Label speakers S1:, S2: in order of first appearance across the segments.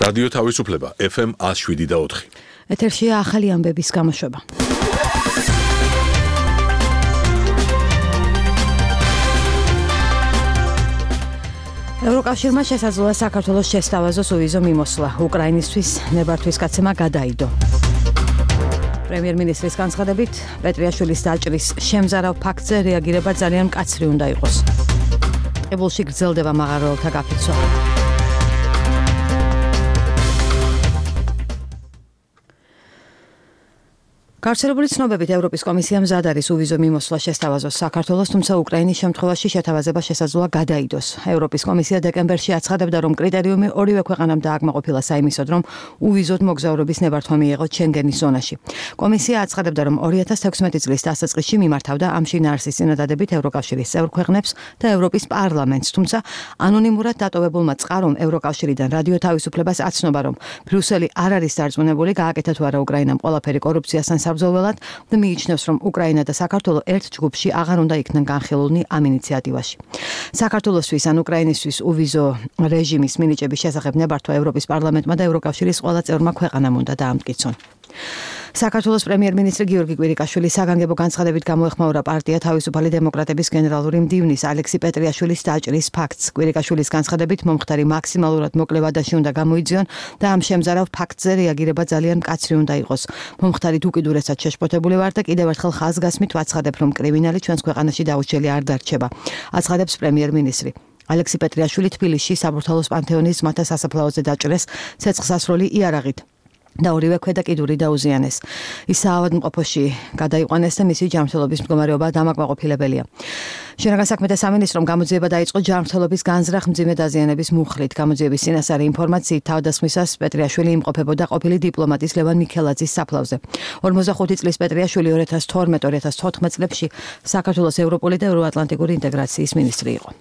S1: რადიო თავისუფლება FM 107.4.
S2: ეთერშია ახალი ამბების გამოშვება. ევროკავშირმა შესაძლოა საქართველოს შესთავაზოს უვიზო მიმოსვლა. უკრაინისთვის ნებართვის გაცემა გადაიდო. პრემიერ-მინისტრის განცხადებით, პეტრიაშვილის დაჭრის შემზარავ ფაქტზე რეაგირება ძალიან მკაცრი უნდა იყოს. ტყიბულში გრძელდება მაღაროელთა გაფიცვა. გავრცელებული ცნობებით ევროპის კომისია მზად არის უვიზო მიმოსვლა შესთავაზოს საქართველოს, თუმცა უკრაინის შემთხვევაში შეთავაზება შესაძლოა გადაიდოს. ევროპის კომისია დეკემბერში აცხადებდა, რომ კრიტერიუმი ორივე ქვეყანამ დააკმაყოფილა საიმისოდ, რომ უვიზოდ მოგზაურობის ნებართვა მიეღოთ შენგენის ზონაში. კომისია აცხადებდა, რომ 2016 წლის დასაწყისში მიმართავდა ამ შინაარსის წინადადებით ევროკავშირის წევრ ქვეყნებს და ევროპის პარლამენტს, თუმცა ანონიმურად დატოვებულმა წყარომ ევროკავშირიდან რადიო თავისუფლებას აცნობა, რომ ბრიუსელი არ არის დარწმუნებული გააკეთა თუ არა უკრაინამ ყველაფერი კორუფციასთან საბრძოლველად და მიიჩნევს, რომ უკრაინა და საქართველო ერთ ჯგუფში აღარ უნდა იქნან განხილულნი ამ ინიციატივაში. საქართველოსთვის ან უკრაინისთვის უვიზო რეჟიმის მინიჭების შესახებ ნებართვა ევროპის პარლამენტმა და ევროკავშირის ყველა წევრმა ქვეყანამ უნდა დაამტკიცონ. საქართველოს პრემიერ-მინისტრი გიორგი კვირიკაშვილი საგანგებო განცხადებით გამოეხმაურა პარტია თავისუფალი დემოკრატების გენერალური მდივნის ალექსი პეტრიაშვილის დაჭრის ფაქტს. კვირიკაშვილის განცხადებით, მომხდარი მაქსიმალურად მოკლე ვადაში უნდა გამოიძიონ და ამ შემზარავ ფაქტზე რეაგირება ძალიან მკაცრი უნდა იყოს. მომხდარით უკიდურესად შეშფოთებული ვარ და კიდევ ერთხელ ხაზგასმით ვაცხადებ, რომ კრიმინალი ჩვენს ქვეყანაში დაუჩელი არ დარჩება. აცხადებს პრემიერ-მინისტრი. ალექსი პეტრიაშვილი თბილისში საბურთალოს პანთეონის ძმათა სასაფლაოზე დაჭრეს ცეცხლსასროლი იარაღით და ორივე ქვედა კიდური დაუზიანეს. ის საავადმყოფოში გადაიყვანეს და მისი ჯანმრთელობის მდგომარეობა დამაკმაყოფილებელია. შინაგან საქმეთა სამინისტრომ გამოძიება დაიწყო ჯანმრთელობის განზრახ მძიმე დაზიანების მუხლით. გამოძიების წინასწარი ინფორმაციით თავდასხმისას პეტრიაშვილი იმყოფებოდა ყოფილი დიპლომატის ლევან მიქელაძის საფლავზე. 45 წლის პეტრიაშვილი 2012-2014 წლებში საქართველოს ევროპული და ევროატლანტიკური ინტეგრაციის მინისტრი იყო.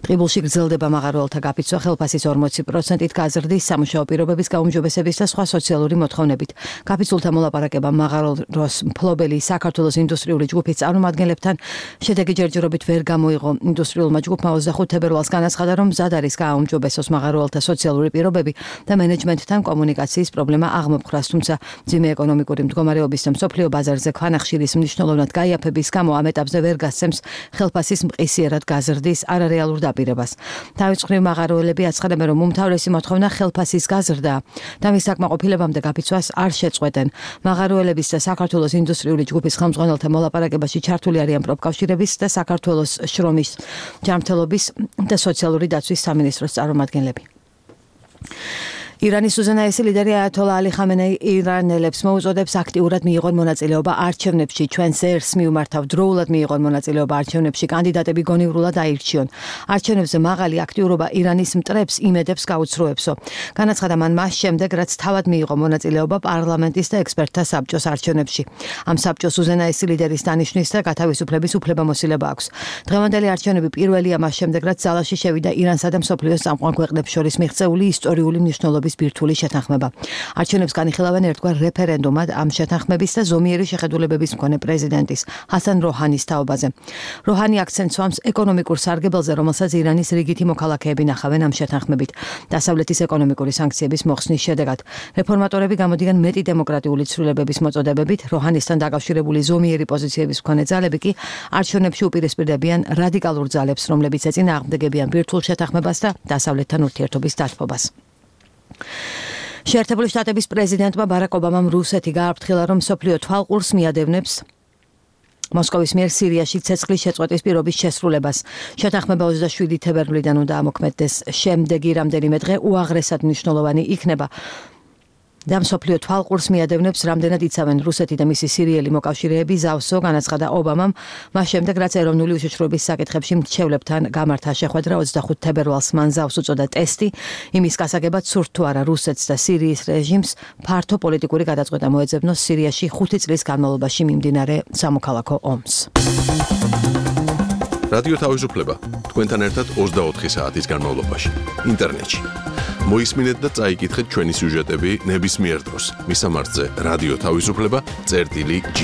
S2: ტყიბულში გრძელდება მაღაროელთა გაფიცვა ხელფასის 40%-ით გაზრდის სამუშაო პირობების გაუმჯობესების და სხვა სოციალური მოთხოვნებით. გაფიცულთა მოლაპარაკება მაღაროს მფლობელი საქართველოს ინდუსტრიული ჯგუფის წარმომადგენლებთან შედეგი ჯერჯერობით ვერ გამოიღო. ინდუსტრიულმა ჯგუფმა 25 თებერვალს განაცხადა, რომ მზად არის გააუმჯობესოს მაღაროელთა სოციალური პირობები და მენეჯმენტთან კომუნიკაციის პრობლემა აღმოფხრას, თუმცა მძიმე ეკონომიკური მდგომარეობის და მსოფლიო ბაზარზე ქვანახშირის მნიშვნელოვნად გაიაფების გამო ამ ეტაპზე ვერ გასცემს ხელფასის მყისიერად გაზრდის არარეალურ პირებას. თავისუფლები მაღაროელები აცხადებენ, რომ უმთავრესი მოთხოვნა ხელფასის გაზრდა და მის საკმაყოფილებამდე გაფიცვას არ შეწყვეტენ. მაღაროელების და საქართველოს ინდუსტრიული ჯგუფის ხელმძღვანელთა მოლაპარაკებაში ჩართული არიან პროფკავშირების და საქართველოს შრომის, ჯანმრთელობის და სოციალური დაცვის სამინისტროს წარმომადგენლები. ირანის უზენაესი ლიდერი აიათოლა ალი ხამენეი ირანელებს მოუწოდებს აქტიურად მიიღონ მონაწილეობა არჩევნებში. ჩვენს ერს მიუმართავ დროულად მიიღონ მონაწილეობა არჩევნებში, კანდიდატები გონივრულად აირჩიონ. არჩევნებზე მაღალი აქტიურობა ირანის მტრებს იმედებს გაუცრუებსო. განაცხადა მან მას შემდეგ, რაც თავად მიიღო მონაწილეობა პარლამენტის და ექსპერტთა საბჭოს არჩევნებში. ამ საბჭოს უზენაესი ლიდერის დანიშვნის და გათავისუფლების უფლებამოსილება აქვს. დღევანდელი არჩევნები პირველია მას შემდეგ, რაც ძალაში შევიდა ირანსა და მსოფლიოს წამყვან ქვეყნებს შორის მიღწეული ისტორიული მნიშვნელობის ბირთვული შეთანხმება. არჩევნებს განიხილავენ ერთგვარ რეფერენდუმად ამ შეთანხმების და ზომიერი შეხედულებების მქონე პრეზიდენტის ჰასან როჰანის თაობაზე. როჰანი აქცენტს უსვამს ეკონომიკურ სარგებელზე, რომელსაც ირანის რიგითი მოქალაქეები ნახავენ ამ შეთანხმებით. დასავლეთის ეკონომიკური სანქციების მოხსნის შედეგად რეფორმატორები გამოდიან მეტი დემოკრატიული ცვლილებების მოწოდებებით, როჰანისთან დაკავშირებული ზომიერი პოზიციების მქონე ძალები კი არჩევნებში უპირისპირდებიან რადიკალურ ძალებს, რომლებიც ეწინააღმდეგებიან ბირთვულ შეთანხმებას და დასავლეთთან ურთიერთობის დათბობას. შეერთებული შტატების პრეზიდენტმა ბარაკ ობამამ რუსეთი გააფრთხილა, რომ მსოფლიო თვალყურს მიადევნებს მოსკოვის მიერ სირიაში ცეცხლის შეწყვეტის პირობის შესრულებას. შეთანხმება 27 თებერვლიდან უნდა ამოქმედდეს. შემდეგი რამდენიმე დღე უაღრესად მნიშვნელოვანი იქნება. და მსოფლიო თვალყურს მიადევნებს, რამდენად იცავენ რუსეთი და მისი სირიელი მოკავშირეები ზავსო, განაცხადა ობამამ, მას შემდეგ, რაც ეროვნული უშიშროების საკითხებში მრჩევლებთან გამართა შეხვედრა 25 თებერვალს მან ზავს უწოდა ტესტი, იმის გასაგებად სურთ თუ არა რუსეთს და სირიის რეჟიმს ფართო პოლიტიკური გადაწყვეტა მოეძებნოს სირიაში 5 წლის განმავლობაში მიმდინარე სამოქალაქო ომს.
S1: რადიო თავისუფლება თქვენთან ერთად 24 საათის განმავლობაში ინტერნეტში. მოისმინეთ და წაიკითხეთ ჩვენი სიუჟეტები ნებისმიერ დროს. მისამართზე რადიო თავისუფლება წერტილი G.